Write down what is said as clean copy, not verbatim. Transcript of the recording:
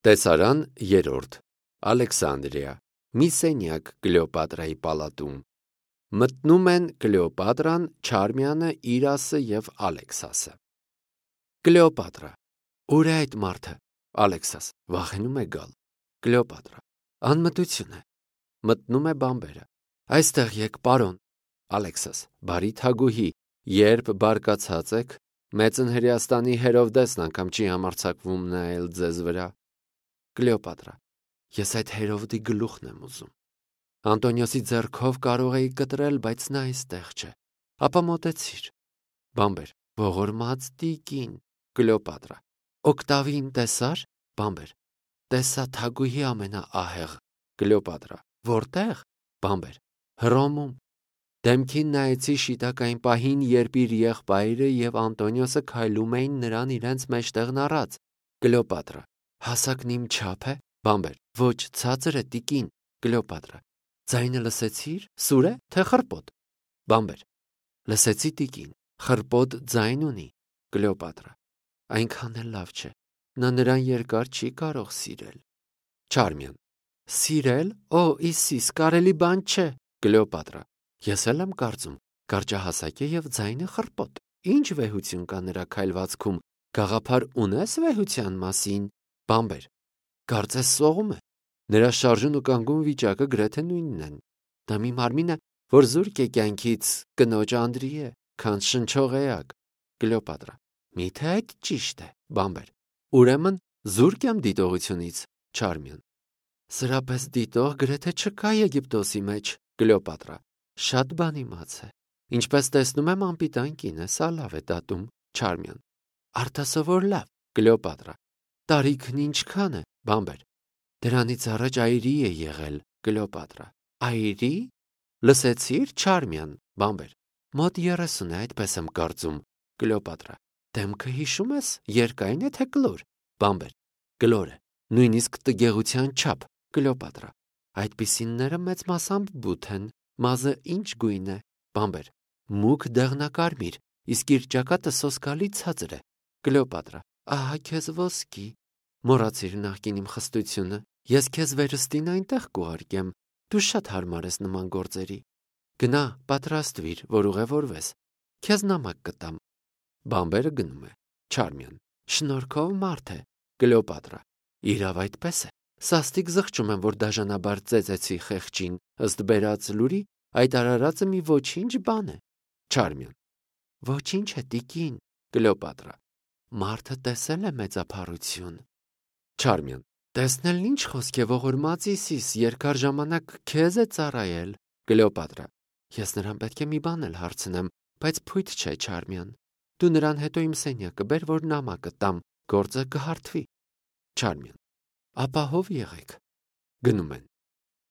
Տեսարան երրորդ Ալեքսանդրիա մի սենյակ Կլեոպատրայի պալատում մտնում են Կլեոպատրան, Չարմիանը, Իրասը և Ալեքսասը։ Կլեոպատրա. Ուր է այդ մարդը։ Ալեքսաս. վախենում է գալ։ Կլեոպատրա. անմտություն է։ Մտնում է բանբերը. այստեղ եք, պարոն։ Ալեքսաս. բարի թագուհի, երբ բարկացած եք, մեծն Հրեաստանի Հերովդեսն անգամ չի համարձակվում նայել ձեզ վրա։ Կլեոպատրա. ես այդ Հերովդի գլուխն եմ ուզում։ Անտոնիոսի ձեռքով կարող էի կտրել, բայց նա այստեղ չէ։ Ապա մոտեցիր։ Բանբեր. ողորմած տիկին։ Կլեոպատրա. Օկտավին տեսար։ Բանբեր. տեսա թագուհի ամենաահեղ։ Կլեոպատրա. որտեղ։ Բանբեր. Հռոմում։ Դեմքին նայեցի շիտակային պահին, երբ իր եղբայրը և Անտոնիոսը քայլում էին նրան իրենց մեջտեղն առած։ Կլեոպատրա. հասակն իմ չափ է։ Բանբեր. ոչ, ցածր է տիկին։ Կլեոպատրա. ձայնը լսեցիր, սուր է, թե խռպոտ։ Բանբեր. լսեցի տիկին, խռպոտ ձայն ունի։ Կլեոպատրա. այնքան էլ լավ չէ, նա նրան երկար չի կարող սիրել։ Չարմիան. սիրել, օ Իսիս, կարելի բան չէ։ Կլեոպատրա. ես էլ եմ կարծում, կարճահասակ է և ձայնը խռպոտ։ Ինչ վեհություն կա նրա քայլվածքում, գաղափար ունես վեհության մասին։ Բանբեր. կարծես սողում է։ Նրա շարժուն ու կանգուն վիճակը գրեթե նույնն են։ Դա մի մարմին է, որ զուրկ է կյանքից, կնոջ Անդրի է, քան շնչող էակ։ Կլեոպատրա. միթե այդ ճիշտ է։ Բանբեր. ուրեմն զուրկ եմ դիտողությունից։ Չարմիան. սրա պես դիտող գրեթե չկա Եգիպտոսի մեջ։ Կլեոպատրա. շատ բան իմաց է։ Ինչպես տեսնում եմ, անպիտան կին է, սա լավ է դատում։ Չարմիան. արտասովոր լավ։ Կլեոպատրա. տարիքն ինչքան է։ Բանբեր. դրանից առաջ այրի է եղել։ Կլեոպատրա. այրի։ Լսեցիր, Չարմիան։ Բանբեր. մոտ 30 է, այդպես եմ կարծում։ Կլեոպատրա. դեմքը հիշում ես, երկայն է թե կլոր։ Բանբեր. կլոր է, նույնիսկ տգեղության չափ։ Կլեոպատրա. այդպիսինները մեծ մասամբ բութ են, մազը ինչ գույն է։ Բանբեր. մուգ դեղնակարմիր, իսկ իր ճակատը սոսկալի ցածր է։ Կլեոպատրա. ահա քեզ ոսկի։ Մոռացիր նախկին իմ խստությունը, ես քեզ վերստին այնտեղ կուղարկեմ, դու շատ հարմար ես նման գործերի։ Գնա, պատրաստվիր, որ ուղևորվես, քեզ նամակ կտամ։ Բանբերը գնում է։ Չարմիան. շնորհքով մարդ է։ Կլեոպատրա. իրավ այդպես է։ Սաստիկ զղջում եմ, որ դաժանաբար ծեծեցի խեղճին, ըստ բերած լուրի, այդ արարածը մի ոչինչ բան է։ Չարմիան. ոչինչ է տիկին։ Կլեոպատրա. մարդը տեսել է մեծափառություն։ Չարմիան. տեսնելն ինչ խոսք է, ողորմած Իսիս, երկար ժամանակ քեզ է ծառայել։ Կլեոպատրա. ես նրան պետք է մի բան էլ հարցնեմ, բայց փույթ չէ, Չարմիան։ Դու նրան հետո իմ սենյակը բեր, որ նամակը տամ, գործը կհարթվի։ Չարմիան. ապահով եղեք։ Գնում են։